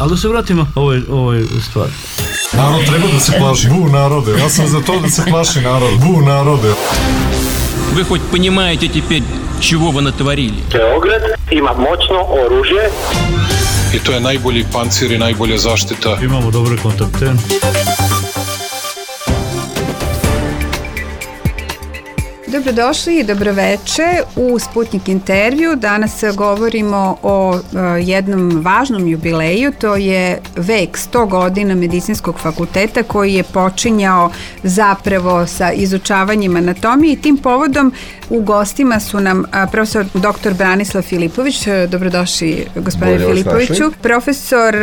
Ali da se vratimo ovoj stvari. Narod treba da se plaši. Bu narode. Ja sam za to da se plaši narod. Bu narode. Вы хоть понимаете теперь, чего вы натворили? Beograd ima moćno oružje. I to je najbolji pancir i najbolja zaštita. Imamo dobre kontakte. Dobrodošli i dobroveče u Sputnik intervju. Danas govorimo o jednom važnom jubileju, to je vek 100 godina Medicinskog fakulteta koji je počinjao zapravo sa izučavanjem anatomije i tim povodom u gostima su nam profesor dr. Branislav Filipović, dobrodošli gospodine Filipoviću, profesor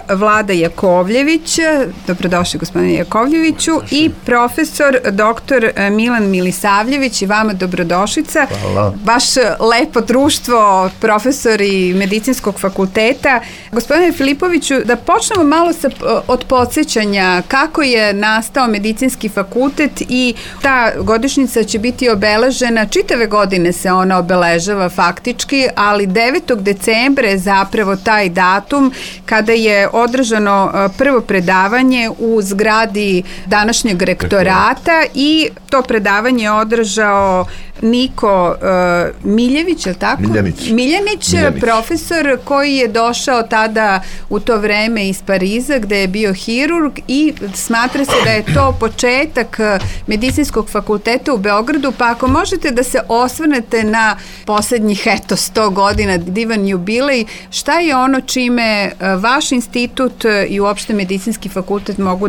Vlada Jakovljević, dobrodošli gospodine Jakovljeviću i profesor dr. Milan Milisavljević i vama dobrodošlica. Hvala. Baš lepo društvo, profesori Medicinskog fakulteta. Gospodine Filipoviću, da počnemo malo od podsjećanja kako je nastao Medicinski fakultet i ta godišnjica će biti obeležena, čitave godine se ona obeležava faktički, ali 9. decembra je zapravo taj datum kada je održano prvo predavanje u zgradi današnjeg rektorata i to predavanje je održao Niko Miljević, je li tako? Miljanić, profesor koji je došao tada u to vreme iz Pariza gde je bio hirurg i smatra se da je to početak Medicinskog fakulteta u Beogradu, pa ako možete da se osvrnete na poslednjih 100 godina, divan jubilej, šta je ono čime vaš institut i uopšte Medicinski fakultet mogu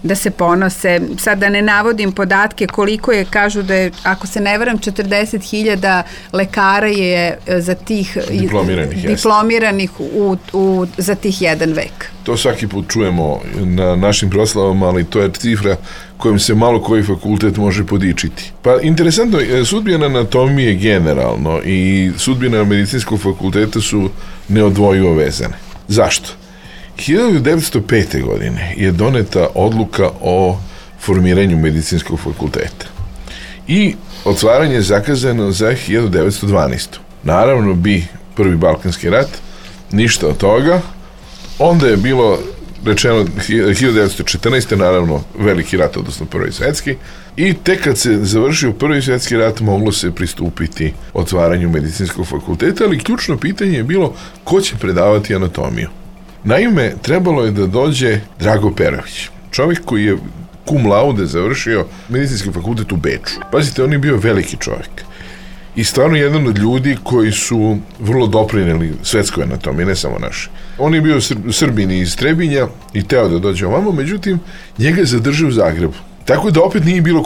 da se ponose? Sad da ne navodim podatke koliko je, kažu da je, ako se ne varam, 40.000 lekara je za tih diplomiranih za tih jedan vek. To svaki put čujemo na našim proslavama, ali to je cifra kojom se malo koji fakultet može podičiti. Pa interesantno, sudbina anatomije generalno i sudbina Medicinskog fakulteta su neodvojivo vezane. Zašto? 1905. godine je doneta odluka o formiranju Medicinskog fakulteta i otvaranje je zakazano za 1912. Naravno bi prvi Balkanski rat, ništa od toga. Onda je bilo rečeno 1914. naravno veliki rat, odnosno prvi svetski, i tek kad se završio prvi svetski rat moglo se pristupiti otvaranju Medicinskog fakulteta, ali ključno pitanje je bilo ko će predavati anatomiju. Naime, trebalo je da dođe Drago Perović, čovjek koji je cum laude završio Medicinski fakultet u Beču. Pazite, on je bio veliki čovjek i stvarno jedan od ljudi koji su vrlo doprineli svetskoj anatomiji, ne samo naše. On je bio Srbin iz Trebinja i teo da dođe ovamo, međutim, njega je zadržao u Zagrebu. Tako da opet nije bilo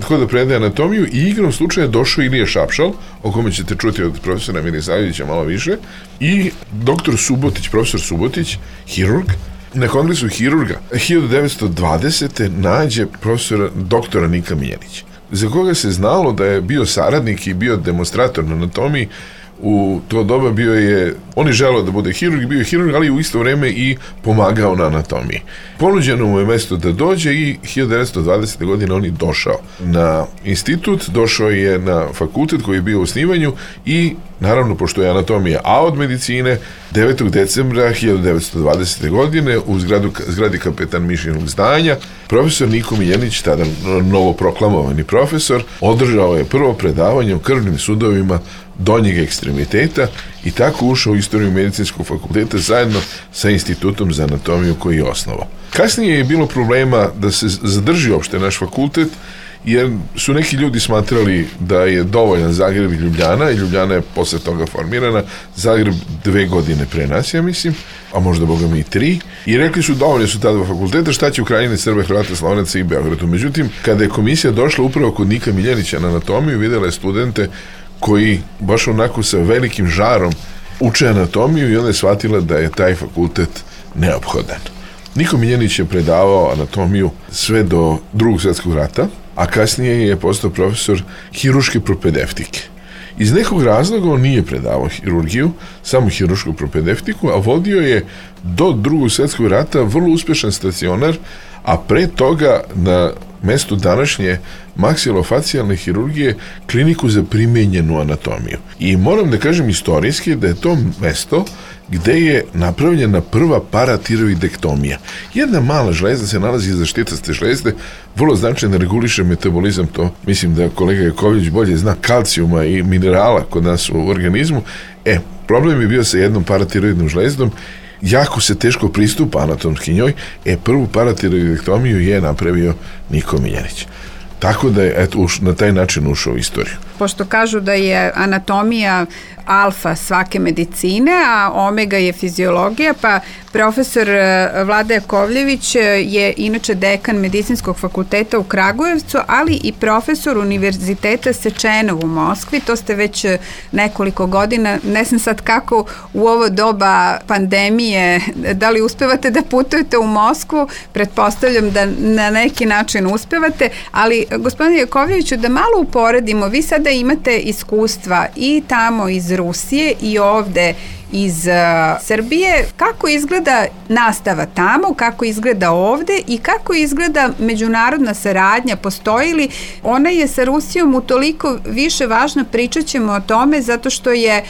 ko da predaje anatomiju i igrom slučaja došao Ilija Šapšal, o kome ćete čuti od profesora Milisavljevića malo više, i doktor Subotić, profesor Subotić, hirurg. Na kongresu hirurga 1920. nađe profesora doktora Nika Miljanića, za koga se znalo da je bio saradnik i bio demonstrator na anatomiji. U to doba on je želeo da bude hirurg, bio je hirurg, ali u isto vreme i pomagao na anatomiji. Ponuđeno mu je mesto da dođe i 1920. godine on je došao na institut, došao je na fakultet koji je bio u osnivanju i naravno, pošto je anatomija A od medicine, 9. decembra 1920. godine u zgradi kapetan Mišinog zdanja, profesor Niko Miljanić, tada novoproklamovani profesor, održao je prvo predavanje o krvnim sudovima donjeg ekstremiteta i tako ušao u istoriju Medicinskog fakulteta zajedno sa Institutom za anatomiju koji je osnovao. Kasnije je bilo problema da se zadrži uopšte naš fakultet, jer su neki ljudi smatrali da je dovoljan Zagreb i Ljubljana, i Ljubljana je posle toga formirana, Zagreb 2 godine pre nas, ja mislim, a možda boga mi i 3, i rekli su dovoljno su ta dva fakulteta, šta će u Krajini, Srbe, Hrvata, Slovenaca i Beogradu. Međutim, kada je komisija došla upravo kod Nika Miljanića na anatomiju, videla je studente koji baš onako sa velikim žarom uče anatomiju i onda je shvatila da je taj fakultet neophodan. Niko Miljanić je predavao anatomiju sve do Drugog svjetskog rata, a kasnije je postao profesor hiruške propedeutike. Iz nekog razloga on nije predavao hirurgiju, samo hirušku propedeutiku, a vodio je do Drugog svjetskog rata vrlo uspešan stacionar, a pre toga na mestu današnje maksilofacijalne hirurgije kliniku za primenjenu anatomiju. I moram da kažem istorijski da je to mesto gde je napravljena prva paratiroidektomija. Jedna mala žlezda se nalazi iza štitaste žlezde, vrlo značajno reguliše metabolizam, to mislim da kolega Jakovljević bolje zna, kalcijuma i minerala kod nas u organizmu. Problem je bio sa jednom paratiroidnom žlezdom, jako se teško pristupa anatomski njoj, prvu paratiroidektomiju je napravio Niko Miljanić. Tako da je na taj način ušao u istoriju. Pošto kažu da je anatomija alfa svake medicine, a omega je fiziologija, pa profesor Vlada Jakovljević je inače dekan Medicinskog fakulteta u Kragujevcu, ali i profesor Univerziteta Sečenov u Moskvi. To ste već nekoliko godina, ne znam sad kako u ovo doba pandemije, da li uspevate da putujete u Moskvu, pretpostavljam da na neki način uspevate, ali gospodine Jakovljeviću, da malo uporedimo, vi sada imate iskustva i tamo iz Rusije i ovde iz Srbije. Kako izgleda nastava tamo, kako izgleda ovde i kako izgleda međunarodna saradnja? Postoji li? Ona je sa Rusijom utoliko više važna, pričat ćemo o tome, zato što je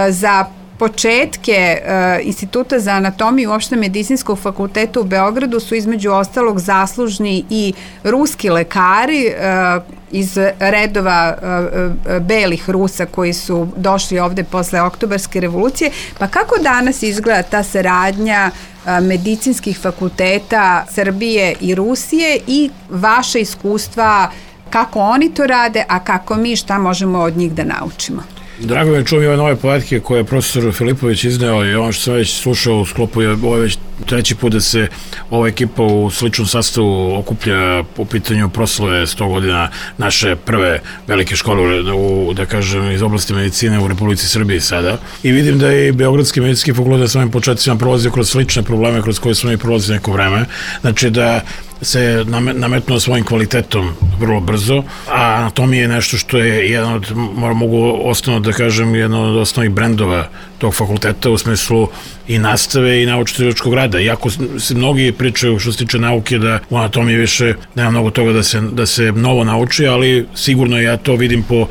za početke Instituta za anatomiju uopšte Medicinskog fakulteta u Beogradu su između ostalog zaslužni i ruski lekari iz redova belih Rusa koji su došli ovde posle Oktobarske revolucije. Pa kako danas izgleda ta saradnja medicinskih fakulteta Srbije i Rusije i vaše iskustva, kako oni to rade, a kako mi, šta možemo od njih da naučimo? Drago mi je čuo mi ove nove podatke koje je profesor Filipović izneo i ono što sam već slušao u sklopu je ovo već treći put da se ova ekipa u sličnom sastavu okuplja po pitanju proslave 100 godina naše prve velike škole da kažem iz oblasti medicine u Republici Srbiji sada. I vidim da je i Beogradski medicinski fakultet na svojim početcima prolazio kroz slične probleme kroz koje smo i prolazili neko vreme. Znači da se nametnuo svojim kvalitetom vrlo brzo, a anatomija je nešto što je jedan od, mogu osnovno da kažem, jedan od osnovnih brendova tog fakulteta u smislu i nastave i naučno-istraživačkog rada. Iako se mnogi pričaju što se tiče nauke da u anatomiji više nema mnogo toga da se novo nauči, ali sigurno ja to vidim po,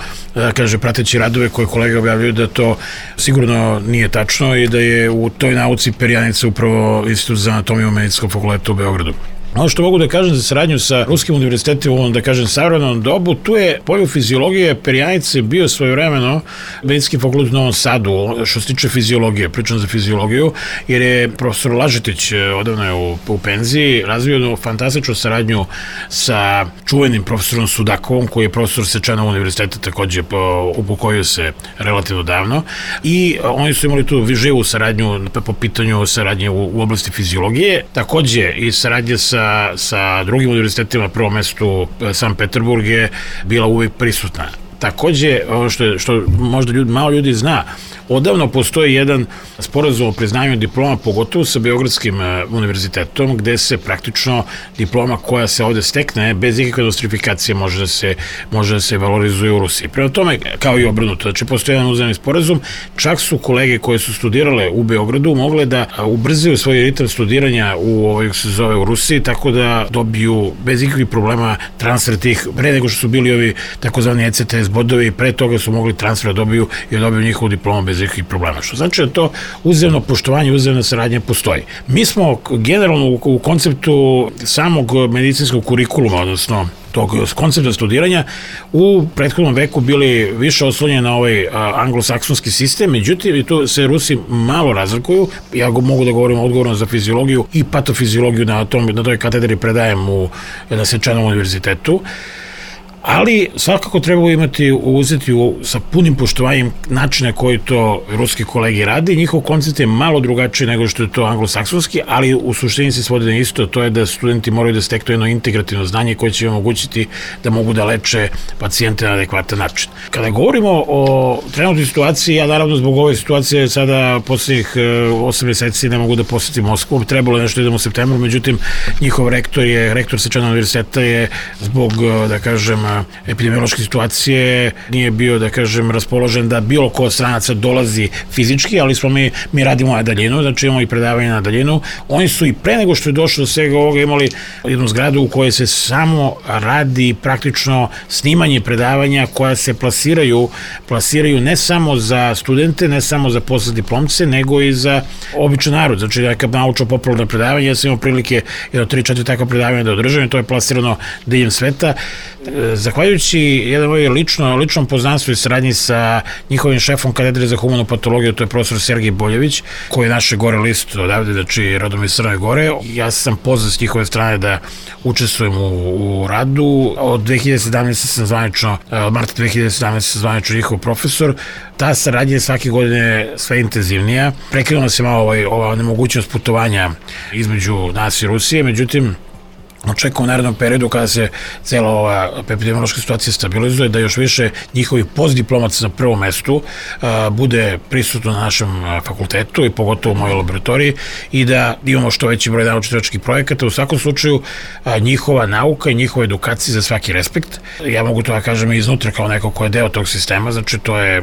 prateći radove koje kolega objavljaju da to sigurno nije tačno i da je u toj nauci perjanica upravo Institut za anatomiju Medicinskog fakulteta u Beogradu. Ono što mogu da kažem za saradnju sa Ruskim univerzitetima u ovom, da kažem, savremenom dobu, tu je polju fiziologije perjanice bio svojevremeno Medicinski fakultet u Novom Sadu, što se tiče fiziologije, pričam za fiziologiju, jer je profesor Lažetić, odavno je u penziji, razvio jednu fantastičnu saradnju sa čuvenim profesorom Sudakovom, koji je profesor Sečenov univerziteta, takođe upokojio se relativno davno, i oni su imali tu živu saradnju po pitanju saradnje u oblasti fiziologije, takođe i saradnje sa drugim univerzitetima, prvo mestu Sankt Peterburg je bila uvijek prisutna. Takođe, ono što možda malo ljudi zna, odavno postoji jedan sporazum o priznanju diploma, pogotovo sa Beogradskim univerzitetom, gde se praktično diploma koja se ovde stekne bez ikakve nostrifikacije može da se valorizuje u Rusiji. Prema tome, kao i obrnuto, znači postoji jedan uzemni sporazum, čak su kolege koje su studirale u Beogradu mogle da ubrzaju svoj ritam studiranja u Rusiji, tako da dobiju bez ikakvih problema transfer tih, pre nego što su bili ovi takozvani ECTS bodovi, pre toga su mogli transfer da dobiju i dobiju njihovu diplomu bez ikakvih problema. Što znači da to uzemno poštovanje, uzemna saradnja postoji. Mi smo generalno u konceptu samog medicinskog kurikuluma, odnosno tog koncepta studiranja, u prethodnom veku bili više oslonjeni na ovaj anglosaksonski sistem, međutim, i tu se Rusi malo razlikuju. Ja mogu da govorim odgovorno za fiziologiju i patofiziologiju na toj katedri predajem na Sečenovom univerzitetu. Ali svakako treba uzeti sa punim poštovanjem načina koji to ruski kolegi radi. Njihov koncept je malo drugačiji nego što je to anglosaksonski, ali u suštini se svodi na isto, to je da studenti moraju da steknu jedno integrativno znanje koje će im omogućiti da mogu da leče pacijente na adekvatan način. Kada govorimo o trenutnoj situaciji, ja naravno zbog ove situacije sada poslednjih 8 meseci ne mogu da posetim Moskvu, trebalo je nešto idem u septembru, međutim njihov rektor Sečenovog univerziteta je zbog, da kažem, epidemiološke situacije nije bio, da kažem, raspoložen da bilo ko od stranaca dolazi fizički, ali smo mi radimo na daljinu, znači imamo i predavanje na daljinu. Oni su i pre nego što je došlo do svega ovoga imali jednu zgradu u kojoj se samo radi praktično snimanje predavanja koja se plasiraju ne samo za studente, ne samo za postdiplomce, nego i za običan narod. Znači, neka naučno-popularna predavanja, ja sam imao prilike 3-4 takva predavanja da održam i to je plasirano diljem sveta. Zahvaljujući jedan moj ličnom poznanstvu i saradnji sa njihovim šefom katedre za humanu patologiju, to je profesor Sergej Boljević, koji je naše gore list odavde, znači rodom iz Crne Gore. Ja sam pozvan s njihove strane da učestvujem u radu. Od 2017. sam zvanično, od marta 2017. sam zvanično njihov profesor. Ta saradnja je svake godine sve intenzivnija. Prekinula se malo ova nemogućnost putovanja između nas i Rusije, međutim, očekujemo u narednom periodu kada se cela ova epidemiološka situacija stabilizuje, da još više njihovi postdiplomaca na prvom mestu bude prisutno na našem fakultetu i pogotovo u mojoj laboratoriji i da imamo što veći broj naučno-istraživačkih projekata. U svakom slučaju njihova nauka i njihova edukacija za svaki respekt. Ja mogu to da kažem i iznutra kao neko ko je deo tog sistema, znači to je,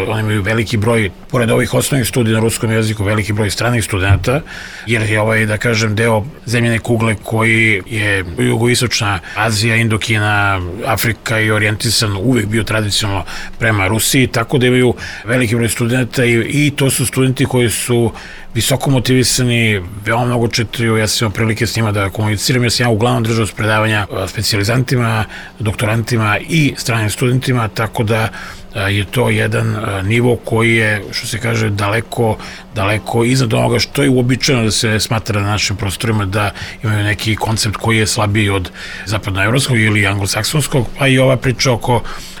oni imaju veliki broj, pored ovih osnovnih studija na ruskom jeziku, veliki broj stranih studenta, jer je da kažem, deo zemljene kugle koji je jugoistočna Azija, Indokina, Afrika i orijentisan uvek bio tradicionalno prema Rusiji, tako da imaju veliki broj studenta i to su studenti koji su visoko motivisani, veoma mnogo čitaju, ja sam imao prilike s njima da komuniciram, ja sam uglavnom držao s predavanja specijalizantima, doktorantima i stranim studentima, tako da je to jedan nivo koji je, što se kaže, daleko iznad onoga što je uobičajeno da se smatra na našim prostorima, da imaju neki koncept koji je slabiji od zapadnoevropskog ili anglosaksonskog, pa i ova priča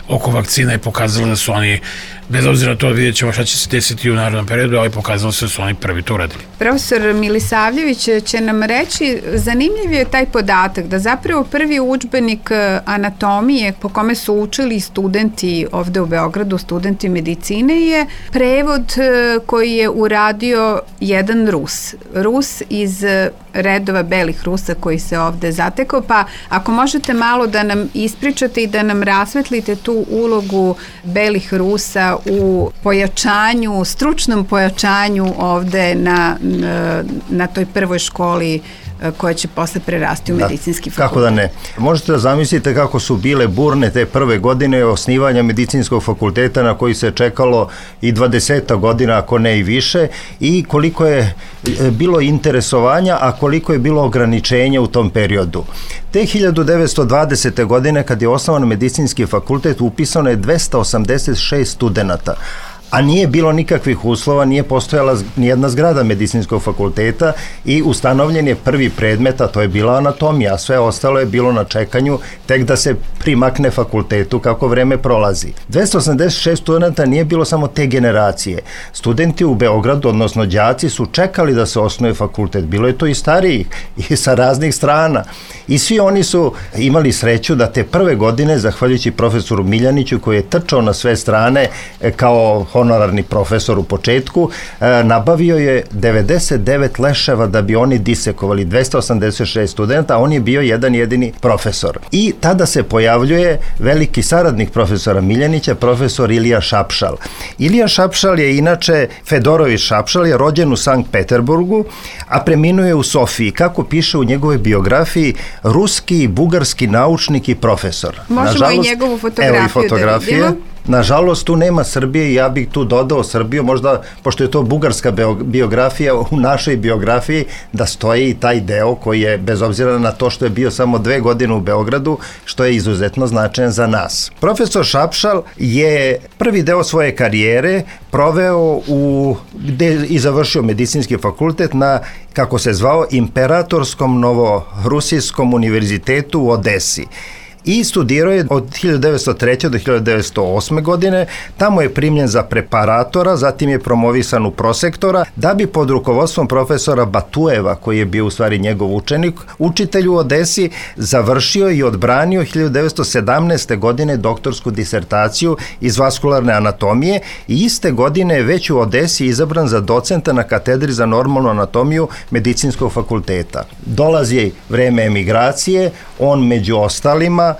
oko vakcina je pokazala da su oni, bez obzira na to, vidjet ćemo šta će se desiti u narednom periodu, ali pokazalo se da su oni prvi to uradili. Profesor Milisavljević će nam reći, zanimljiv je taj podatak da zapravo prvi udžbenik anatomije po kome su učili studenti ovde u Beogradu, studenti medicine, je prevod koji je uradio jedan Rus iz redova belih Rusa koji se ovde zatekao, pa ako možete malo da nam ispričate i da nam rasvetlite tu ulogu belih Rusa u pojačanju, stručnom pojačanju ovde na toj prvoj školi koja će posle prerasti u medicinski fakultet. Kako da ne. Možete da zamislite kako su bile burne te prve godine osnivanja medicinskog fakulteta na koji se čekalo i 20 godina, ako ne i više, i koliko je bilo interesovanja, a koliko je bilo ograničenja u tom periodu. Te 1920. godine, kad je osnovan medicinski fakultet, upisano je 286 studenata, a nije bilo nikakvih uslova, nije postojala nijedna zgrada medicinskog fakulteta i ustanovljen je prvi predmet, a to je bila anatomija, a sve ostalo je bilo na čekanju tek da se primakne fakultetu kako vreme prolazi. 286 studenta nije bilo samo te generacije. Studenti u Beogradu, odnosno đaci, su čekali da se osnuje fakultet. Bilo je to i starijih i sa raznih strana. I svi oni su imali sreću da te prve godine, zahvaljujući profesoru Miljaniću, koji je trčao na sve strane kao honorarni profesor u početku, nabavio je 99 leševa da bi oni disekovali 286 studenta, a on je bio jedan jedini profesor. I tada se pojavljuje veliki saradnik profesora Miljanića, profesor Ilija Šapšal. Ilija Šapšal je inače, Fedorović Šapšal je rođen u Sankt Peterburgu, a preminuo je u Sofiji. Kako piše u njegovoj biografiji, ruski i bugarski naučnik i profesor. Možemo i njegovu fotografiju da vidimo. Nažalost, tu nema Srbije i ja bih tu dodao Srbiju, možda, pošto je to bugarska biografija, u našoj biografiji da stoji i taj deo koji je, bez obzira na to što je bio samo 2 godine u Beogradu, što je izuzetno značajan za nas. Profesor Šapšal je prvi deo svoje karijere proveo gde i završio medicinski fakultet na, kako se zvao, Imperatorskom Novorusijskom univerzitetu u Odesi. I studirao je od 1903. do 1908. godine, tamo je primljen za preparatora, zatim je promovisan u prosektora, da bi pod rukovodstvom profesora Batujeva, koji je bio u stvari njegov učitelj u Odesi, završio i odbranio 1917. godine doktorsku disertaciju iz vaskularne anatomije i iste godine je već u Odesi izabran za docenta na katedri za normalnu anatomiju medicinskog fakulteta. Dolazi vreme emigracije, on među ostalima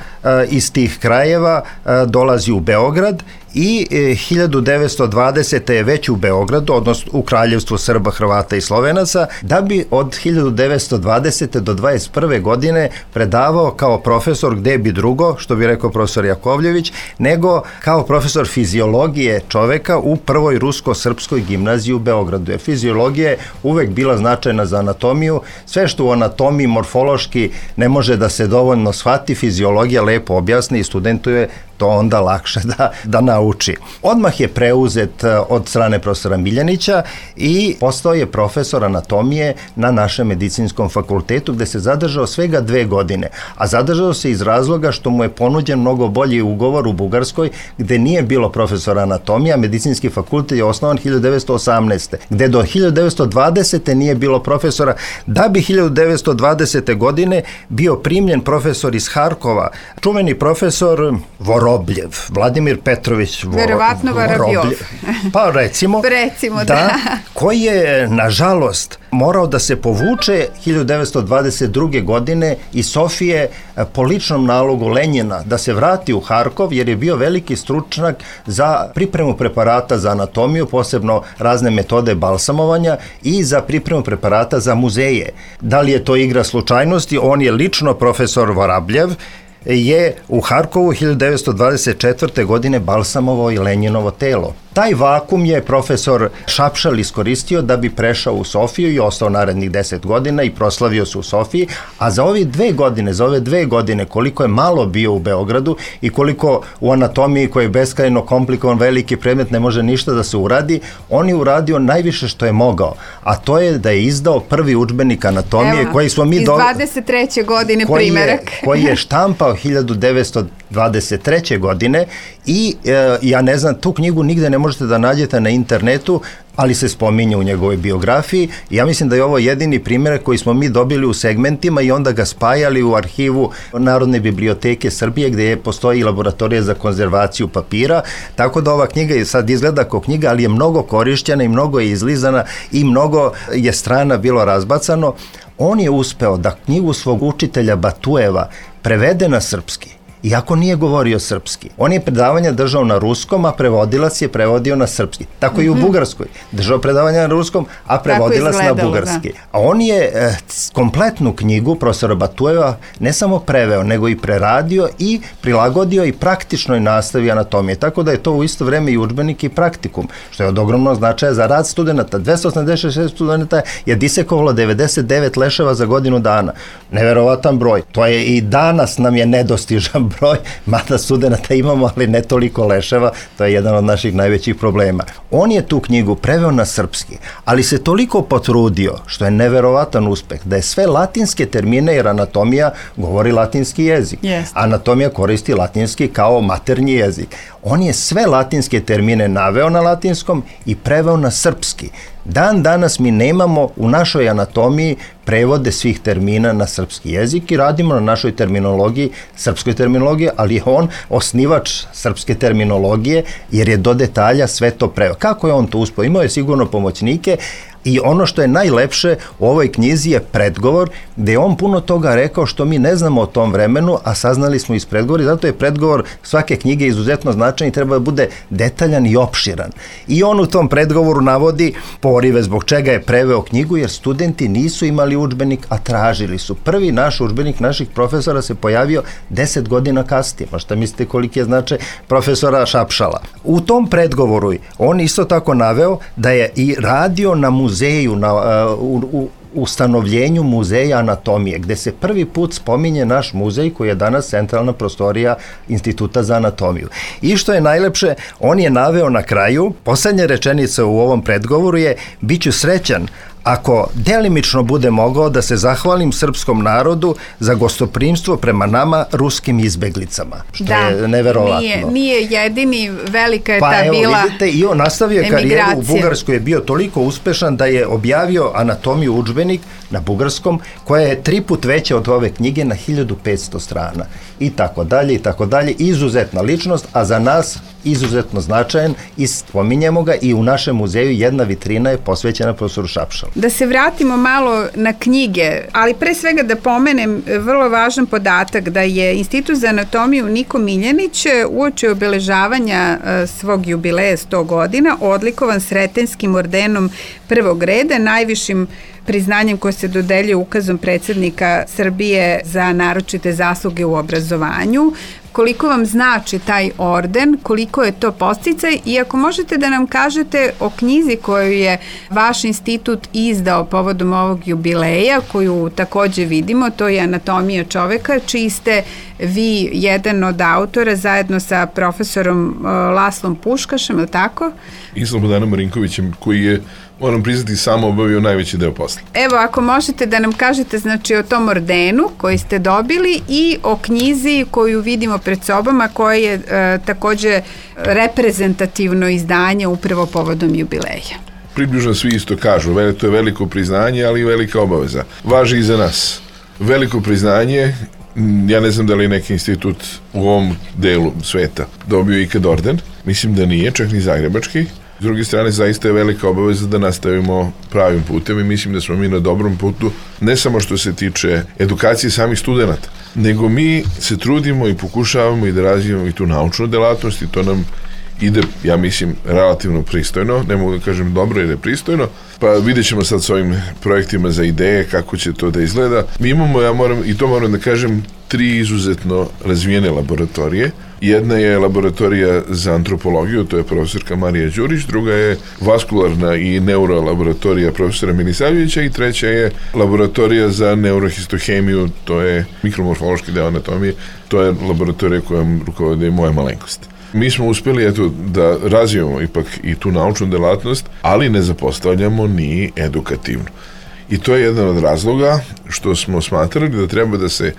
iz tih krajeva dolazi u Beograd i 1920. je već u Beogradu, odnosno u Kraljevstvu Srba, Hrvata i Slovenaca, da bi od 1920. do 21. godine predavao kao profesor, gde bi drugo, što bi rekao profesor Jakovljević, nego kao profesor fiziologije čoveka u prvoj rusko-srpskoj gimnaziji u Beogradu. Jer fiziologija je uvek bila značajna za anatomiju. Sve što u anatomiji morfološki ne može da se dovoljno shvati, fiziologija lepo objasni i studentu je to onda lakše da nauči. Odmah je preuzet od strane profesora Miljanića i postao je profesor anatomije na našem medicinskom fakultetu, gde se zadržao svega 2 godine. A zadržao se iz razloga što mu je ponuđen mnogo bolji ugovor u Bugarskoj, gde nije bilo profesora anatomije, a medicinski fakultet je osnovan 1918. Gde do 1920. nije bilo profesora, da bi 1920. godine bio primljen profesor iz Harkova, čuveni profesor Vorobljev, Vladimir Petrović verovatno Vorobjev. Pa recimo da, koji je nažalost morao da se povuče 1922. godine iz Sofije po ličnom nalogu Lenjina, da se vrati u Harkov, jer je bio veliki stručnjak za pripremu preparata za anatomiju, posebno razne metode balsamovanja i za pripremu preparata za muzeje. Da li je to igra slučajnosti? On je lično, profesor Vorobljev, je u Harkovu 1924. godine balsamovao i Lenjinovo telo. Taj vakum je profesor Šapšal iskoristio da bi prešao u Sofiju i ostao narednih 10 godina i proslavio se u Sofiji, a za ove 2 godine koliko je malo bio u Beogradu i koliko u anatomiji koji je beskrajno komplikovan veliki predmet ne može ništa da se uradi, on je uradio najviše što je mogao, a to je da je izdao prvi udžbenik anatomije koji smo mi iz 23. godine primerak. Koji je štampao 1923. godine i ja ne znam, tu knjigu nigde ne možete da nađete na internetu, ali se spominje u njegovoj biografiji. Ja mislim da je ovo jedini primjer koji smo mi dobili u segmentima i onda ga spajali u arhivu Narodne biblioteke Srbije, gde postoji laboratorija za konzervaciju papira, tako da ova knjiga sad izgleda kao knjiga, ali je mnogo korišćena i mnogo je izlizana i mnogo je strana bilo razbacano. On je uspeo da knjigu svog učitelja Batujeva prevede na srpski, iako nije govorio srpski. On je predavanja držao na ruskom, a prevodilac je prevodio na srpski. Tako i u Bugarskoj. Držao predavanja na ruskom, a prevodilac na bugarski. A on je kompletnu knjigu profesora Batujeva ne samo preveo, nego i preradio i prilagodio i praktičnoj nastavi anatomije. Tako da je to u isto vreme i udžbenik i praktikum, što je od ogromnog značaja za rad studenta. 286 studenta je disekovalo 99 leševa za godinu dana. Neverovatan broj. To je i danas nam je nedostižan broj, mada studenta imamo, ali ne toliko leševa, to je jedan od naših najvećih problema. On je tu knjigu preveo na srpski, ali se toliko potrudio, što je neverovatan uspeh, da je sve latinske termine, jer anatomija govori latinski jezik. Anatomija koristi latinski kao maternji jezik. On je sve latinske termine naveo na latinskom i preveo na srpski. Dan danas mi nemamo u našoj anatomiji prevode svih termina na srpski jezik i radimo na našoj terminologiji, srpskoj terminologiji, ali je on osnivač srpske terminologije, jer je do detalja sve to preveo. Kako je on to uspeo? Imao je sigurno pomoćnike. I ono što je najlepše u ovoj knjizi je predgovor, gde je on puno toga rekao što mi ne znamo o tom vremenu, a saznali smo iz predgovora, i zato je predgovor svake knjige izuzetno značajan i treba da bude detaljan i opširan. I on u tom predgovoru navodi porive zbog čega je preveo knjigu, jer studenti nisu imali udžbenik, a tražili su. Prvi naš udžbenik naših profesora se pojavio 10 godina kasnije. Pa šta mislite koliki je značaj profesora Šapšala? U tom predgovoru on isto tako naveo da je i radio na muzeju, u ustanovljenju muzeja anatomije, gde se prvi put spominje naš muzej koji je danas centralna prostorija Instituta za anatomiju. I što je najlepše, on je naveo na kraju, poslednja rečenica u ovom predgovoru je: biću srećan ako delimično bude mogao da se zahvalim srpskom narodu za gostoprimstvo prema nama ruskim izbeglicama, što je neverovatno. Nije jedini, velika je ta bila emigracija. Pa evo vidite, i on nastavio karijeru u Bugarskoj, je bio toliko uspešan da je objavio anatomiju udžbenik na bugarskom, koja je 3 put veća od ove knjige, na 1500 strana. I tako dalje, i tako dalje. Izuzetna ličnost, a za nas izuzetno značajan i spominjemo ga i u našem muzeju jedna vitrina je posvećena profesoru Šapšalu. Da se vratimo malo na knjige, ali pre svega da pomenem vrlo važan podatak da je Institut za anatomiju Niko Miljanić uoči obeležavanja svog jubileja 100 godina odlikovan Sretenskim ordenom prvog reda, najvišim priznanjem koje se dodeljuje ukazom predsjednika Srbije za naročite zasluge u obrazovanju. Koliko vam znači taj orden, koliko je to podsticaj i ako možete da nam kažete o knjizi koju je vaš institut izdao povodom ovog jubileja, koju takođe vidimo, to je Anatomija čoveka, čiji ste vi jedan od autora zajedno sa profesorom Laslom Puškašem, je li tako? I Slobodanom Marinkovićem, koji je, moram priznati, samo obavio najveći deo posla. Evo, ako možete da nam kažete znači o tom ordenu koji ste dobili i o knjizi koju vidimo pred sobama, koja je takođe reprezentativno izdanje upravo povodom jubileja. Približno svi isto kažu, to je veliko priznanje, ali i velika obaveza. Važi i za nas. Veliko priznanje, ja ne znam da li je neki institut u ovom delu sveta dobio ikad orden, mislim da nije, čak ni zagrebački. S druge strane, zaista je velika obaveza da nastavimo pravim putem i mislim da smo mi na dobrom putu, ne samo što se tiče edukacije samih studenta, nego mi se trudimo i pokušavamo i da razvijamo i tu naučnu delatnost i to nam ide, ja mislim, relativno pristojno, ne mogu da kažem dobro jer je pristojno, pa vidjet ćemo sad s ovim projektima za ideje kako će to da izgleda. Mi imamo, moram da kažem, 3 izuzetno razvijene laboratorije. Jedna je laboratorija za antropologiju, to je profesorka Marija Đurić, druga je vaskularna i neurolaboratorija profesora Milisavljevića i treća je laboratorija za neurohistohemiju, to je mikromorfološki deo anatomije, to je laboratorija kojom rukovodi moja malenkost. Mi smo uspeli da razvijemo ipak i tu naučnu delatnost, ali ne zapostavljamo ni edukativno. I to je jedan od razloga što smo smatrali da treba da se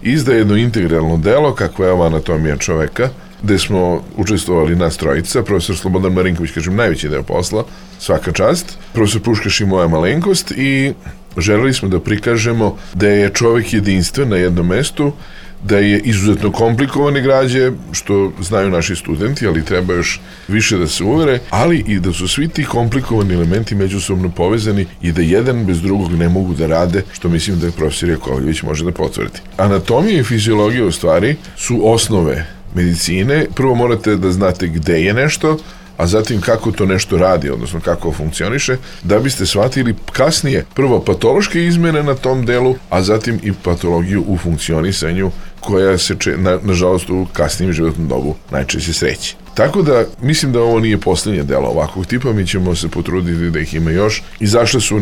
izda jedno integralno delo, kakva je ova Anatomija čoveka, gde smo učestvovali nas trojica, profesor Slobodan Marinković, kažem, najveći deo posla, svaka čast, profesor Puškaš i moja malenkost i želeli smo da prikažemo da je čovek jedinstven na jednom mestu, da je izuzetno komplikovane građe, što znaju naši studenti, ali treba još više da se uvere, ali i da su svi ti komplikovani elementi međusobno povezani i da jedan bez drugog ne mogu da rade, što mislim da je profesor Jakovljević može da potvrdi. Anatomija i fiziologija u stvari su osnove medicine. Prvo morate da znate gde je nešto, a zatim kako to nešto radi, odnosno kako funkcioniše, da biste shvatili kasnije prvo patološke izmene na tom delu, a zatim i patologiju u funkcionisanju koja se, nažalost, u kasnijem životnom dobu najčešće sreće. Tako da, mislim da ovo nije poslednje delo ovakvog tipa, mi ćemo se potruditi da ih ima još. Izašle su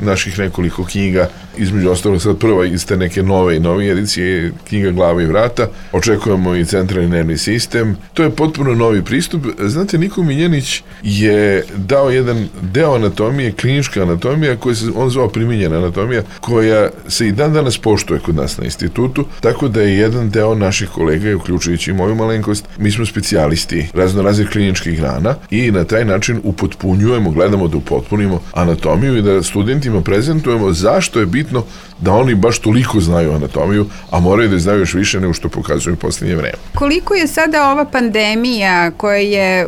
naših nekoliko knjiga, između ostalog sad prva iz te neke nove edicije, knjiga Glava i vrata, očekujemo i centralni nervni sistem. To je potpuno novi pristup. Znate, Niko Miljanić je dao jedan deo anatomije, klinička anatomija, koja se on zvao primijenjena anatomija, koja se i dan danas poštuje kod nas na institutu, tako da je jedan deo naših kolega, uključujući i moju malenkost, mi smo specijalisti raznoraznih kliničkih grana i na taj način upotpunjujemo, gledamo da upotpunimo anatomiju i da studentima prezentujemo zašto je bitno da oni baš toliko znaju anatomiju, a moraju da znaju još više nego što pokazuju u posljednje vreme. Koliko je sada ova pandemija koja je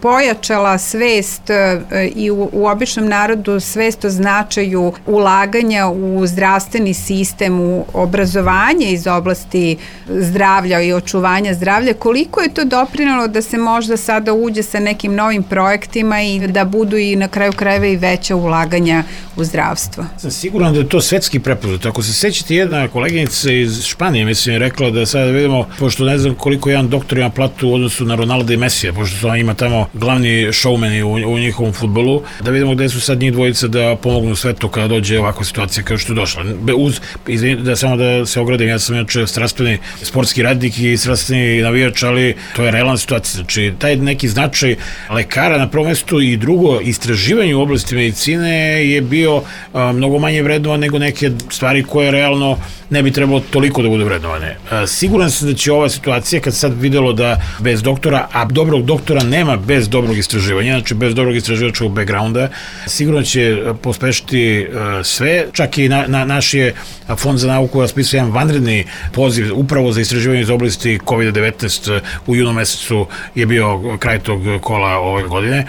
pojačala svest i u običnom narodu svest o značaju ulaganja u zdravstveni sistem, u obrazovanje iz oblasti zdravlja i očuvanja zdravlja, koliko je to doprinalo da se možda sada uđe sa nekim novim projektima i da budu i na kraju krajeva i veća ulaganja u zdravstvo? Sam siguran da je to svetski prepoznat. Ako se sećate, jedna koleginica iz Španije, mislim, je rekla da sada vidimo, pošto ne znam koliko jedan doktor ima platu u odnosu na Ronalda i Mesija, pošto su ima tamo glavni showmeni u njihovom fudbalu, da vidimo gde su sad njih dvojica da pomognu svetu kada dođe ovakva situacija kao što je došla. Izvinite, samo da se ogradim, ja sam inače strastveni sportski radnik i strastveni navijač, ali to je realna situacija. Znači, taj neki značaj lekara na prvom mestu i drugo, istraživanje u oblasti medicine je bio mnogo manje vrednovan nego neke stvari koje realno ne bi trebalo toliko da budu vrednovane. Siguran sam da će ova situacija, kad sad videlo da bez doktora, a dobrog doktora nema bez dobrog istraživanja, znači bez dobrog istraživačkog backgrounda, sigurno će pospešiti sve, čak i naš je Fond za nauku raspisao jedan vanredni poziv upravo za istraživanje iz oblasti COVID-19 u junu mesecu je bio kraj tog kola ove godine.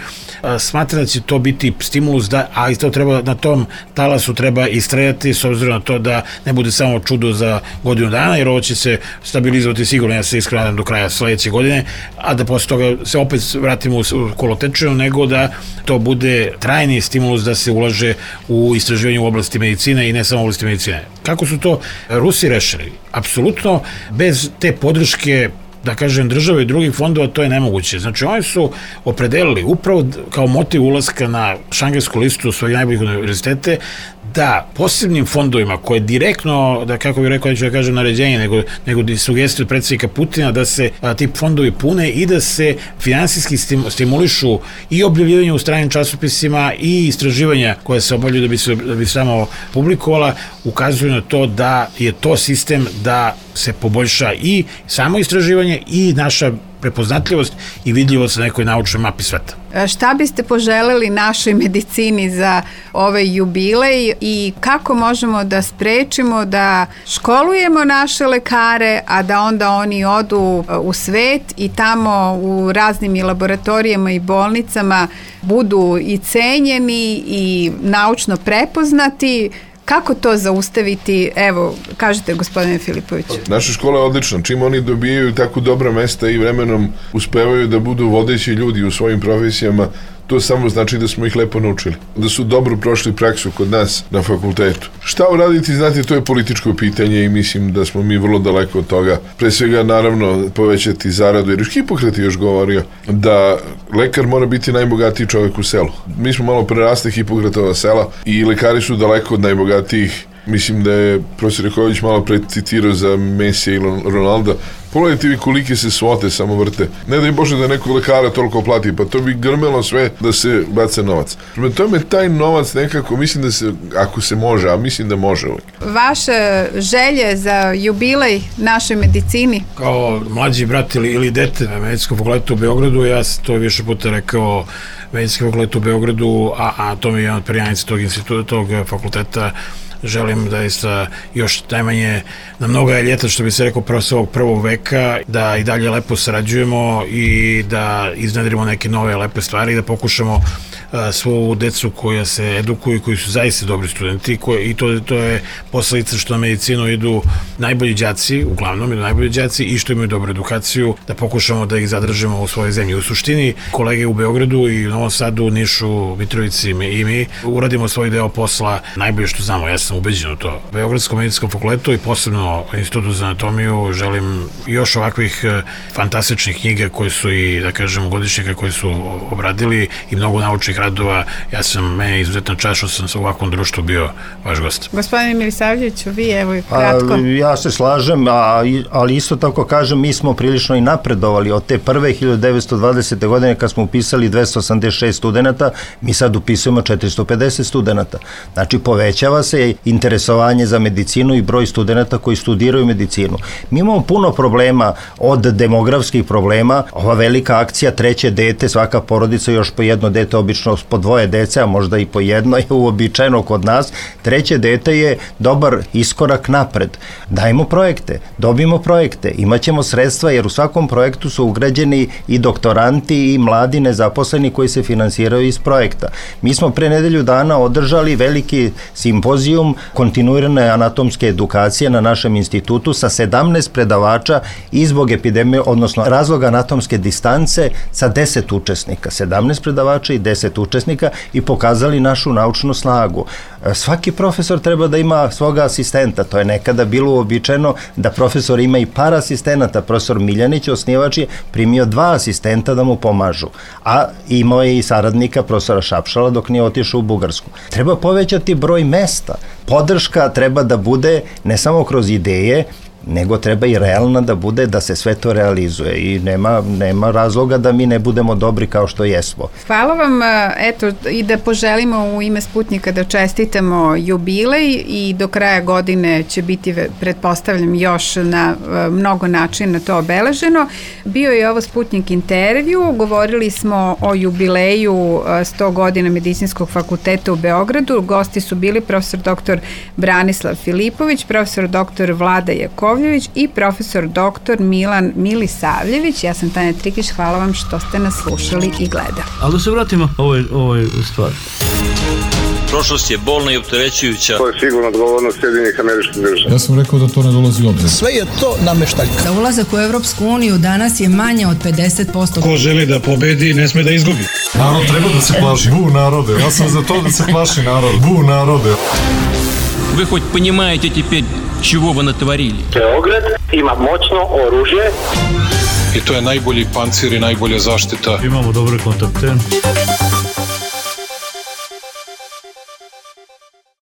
Smatram da će to biti stimulus, a isto treba na tom talasu treba istrajati s obzirom na to da ne bude samo čudo za godinu dana, jer ovo će se stabilizovati sigurno, ja se iskreno do kraja sledeće godine, a da posle toga se opet vratimo u kolotečinu, nego da to bude trajni stimulus da se ulaže u istraživanje u oblasti medicine i ne samo u oblasti medicine. Kako su to Rusi rešili? Apsolutno bez te podrške, da kažem, države i drugih fondova, to je nemoguće. Znači, oni su opredelili upravo kao motiv ulaska na šangajsku listu svojih najboljih univerzitete da posebnim fondovima koje direktno, da kako bih rekao, neću da kažem naređenje, nego sugestije od predsjednika Putina da se ti fondovi pune i da se finansijski stimulišu i objavljivanje u stranim časopisima i istraživanja koje se obavljaju da bi samo publikovala, ukazuju na to da je to sistem da se poboljša i samo istraživanje i naša prepoznatljivost i vidljivost na nekoj naučnoj mapi sveta. Šta biste poželeli našoj medicini za ovaj jubilej i kako možemo da sprečimo da školujemo naše lekare, a da onda oni odu u svet i tamo u raznim i laboratorijama i bolnicama budu i cenjeni i naučno prepoznati? Kako to zaustaviti? Evo, kažete, gospodine Filipoviću. Naša škola je odlična. Čim oni dobijaju tako dobra mesta i vremenom uspevaju da budu vodeći ljudi u svojim profesijama, to samo znači da smo ih lepo naučili. Da su dobro prošli praksu kod nas na fakultetu. Šta uraditi, znate, to je političko pitanje i mislim da smo mi vrlo daleko od toga. Pre svega, naravno, povećati zaradu, jer Hipokrat je još govorio da lekar mora biti najbogatiji čovjek u selu. Mi smo malo prerasli Hipokratova sela i lekari su daleko od najbogatijih. Mislim da je profesor Jaković malo precitirao za Mesija i Ronalda. Pogledajte vi kolike se svote samo vrte. Ne daj Bože da nekog lekara toliko plati, pa to bi grmelo sve da se baca novac. Prema tome, taj novac nekako, mislim da se, ako se može, a mislim da može uvijek. Vaše želje za jubilej našoj medicini? Kao mlađi brat ili dete na medicinskom fakultetu u Beogradu, ja sam to više puta rekao, medicinski fakultet u Beogradu, a to mi je jedan od perjanica tog instituta, tog fakulteta. Želim da još najmanje na mnoga ljeta, što bi se rekao, ovog prvog veka, da i dalje lepo sarađujemo i da iznedrimo neke nove lepe stvari i da pokušamo svu decu koja se edukuju i koji su zaista dobri studenti i to je posledica što na medicinu idu najbolji đaci, uglavnom idu najbolji đaci i što imaju dobru edukaciju, da pokušamo da ih zadržimo u svojoj zemlji. U suštini, kolege u Beogradu i u Novom Sadu, Nišu, Mitrovici i mi uradimo svoj deo posla najbolje što znamo. Ja sam ubeđen u to. Beogradskom medicinskom fakultetu i posebno Institutu za anatomiju želim još ovakvih fantastičnih knjiga koje su i, da kažem, godišnjaka koji su obradili i mnogo naučnih radova. Meni je izuzetna čast što sam sa ovakvom društvu bio vaš gost. Gospodine Milisavljeviću, vi evo kratko. Ja se slažem, ali isto tako kažem, mi smo prilično i napredovali od te prve 1920. godine kad smo upisali 286 studenta, mi sad upisujemo 450 studenta. Znači, povećava se interesovanje za medicinu i broj studenta koji studiraju medicinu. Mi imamo puno problema, od demografskih problema, ova velika akcija treće dete, svaka porodica još po jedno dete, obično po dvoje dece, a možda i po jedno je uobičajeno kod nas. Treće dete je dobar iskorak napred. Dajmo projekte, dobijemo projekte, imaćemo sredstva, jer u svakom projektu su ugrađeni i doktoranti i mladi nezaposleni koji se finansiraju iz projekta. Mi smo pre nedelju dana održali veliki simpozijum kontinuirane anatomske edukacije na našem institutu sa 17 predavača i zbog epidemije, odnosno razloga anatomske distance sa 10 učesnika. 17 predavača i 10 učesnika i pokazali našu naučnu snagu. Svaki profesor treba da ima svoga asistenta. To je nekada bilo uobičajeno da profesor ima i par asistenata. Profesor Miljanić, osnivač, je primio 2 asistenta da mu pomažu. A imao je i saradnika profesora Šapšala dok nije otišao u Bugarsku. Treba povećati broj mesta. Podrška treba da bude ne samo kroz ideje, nego treba i realna da bude, da se sve to realizuje i nema razloga da mi ne budemo dobri kao što jesmo. Hvala vam, eto, i da poželimo u ime Sputnika da čestitamo jubilej i do kraja godine će biti, pretpostavljam, još na mnogo načina to obeleženo. Bio je ovo Sputnik intervju, govorili smo o jubileju 100 godina Medicinskog fakulteta u Beogradu. Gosti su bili profesor dr. Branislav Filipović, profesor dr. Vlada Jaković, Jakovljević i profesor dr. Milan Milisavljević. Ja sam Tanja Trikić, hvala vam što ste nas slušali i gledali. Ali da se vratimo ovoj stvari. Prošlost je bolna i opterećujuća. To je sigurno odgovornost Sjedinjenih Američkih Država. Ja sam rekao da to ne dolazi u obzir. Sve je to nameštaljka. Za ulazak u Evropsku uniju danas je manje od 50%. Ko želi da pobedi, ne sme da izgubi. Narod treba da se plaši. Bu narode. Ja sam za to da se plaši narod. Bu narode. Вы хоть понимаете теперь, чего вы натворили? Beograd ima moćno oružje. I to je najbolji pancir i najbolja zaštita. Imamo dobre kontakte.